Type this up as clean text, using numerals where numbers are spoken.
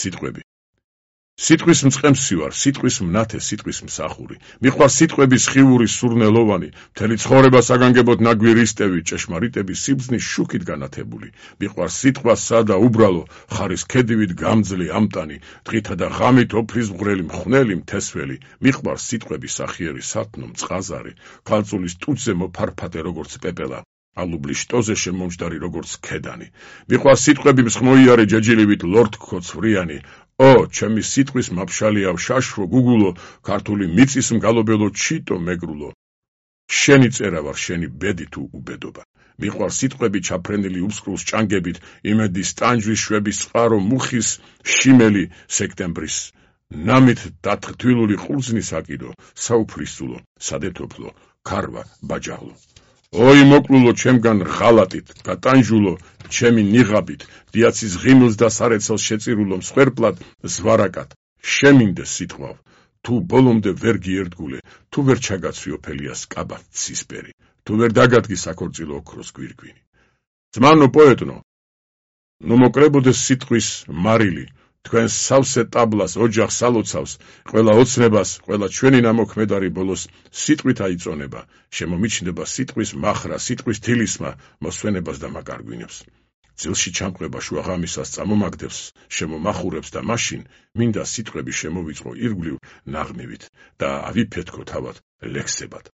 სიტყვები. სიტყვის მწყემსი ვარ, სიტყვის მნათე, სიტყვის მსახური. მიყვარ სიტყვების ხივური სურნელოვანი, მთელი ცხოვრება საგანგებოდ ნაგვირისტევი, ჭეშმარიტების სიბრძნის შუქით განათებული. მიყვარ სიტყვა სადა უბრალო, ხარის ქედივით გამძლე ამტანი, დღითა და ღამით ოფრის მღვრელი მხნელი მთესველი. მიყვარ სიტყვების სახიერი სათნო მწყაზარი, ქალწულის ტუჩზე მოფარფატე როგორც პეპელა. ალუბლის შტოზე შემომჯდარი როგორც ქედანი. მიყვარ სიტყვები მსხმოიარე ჯეჯილივით ლორდქო ცვრიანი. ჩემი სიტყვის მაფშალიავ შაშვო გუგულო, ქართული მიწის მგალობელო ჩიტო მეგრულო. შენი წერა ვარ, შენი ბედი თუ უბედობა. მიყვარ სიტყვები ჩაფრენილი უსკრულს ჭანგებით, იმედის ტანჯვის შვების წყარო მუხის შიმელი სექტემბრის. ნამით დათრთვილული ყურძნის აკიდო, საუფლისწულო, სადეთოფლო, ქარვა ბაჯაღლო. მოკლულო ჩემგან ღალატით, გატანჯულო ჩემი ნიღაბით, დიაცის ღიმილს და სარეცელს შეწირულო მსხვერპლად ზვარაკად. შემინდე სიტყვავ, თუ ბოლომდე ვერ გიერდგულე, თუ ვერ ჩაგაცვი ოფელიას კაბად ცისფერი, თუ ვერ დაგადგი საქორწილო ოქროს გვირგვინი. ძმანო პოეტნო, ნუ მოკლებოდეს სიტყვის მარილი, თქვენ სავსე ტაბლას ოჯახს ალოცავს, ყველა ოცნებას, ყველა ჩვენი ნამოქმედარი ბოლოს სიტყვით აიწონება, შემომიჩნდება სიტყვის მახრა, სიტყვის თილისმა, მოსვენებას და მაკარგვინებს. ძილში ჩამყვება შუაღამისას წამომაგდებს, შემომახურებს და მაშინ მინდა სიტყვები შემოვიწყო ირგვლივ ნაღმივით და ავიფეთქო თავად ლექსებად.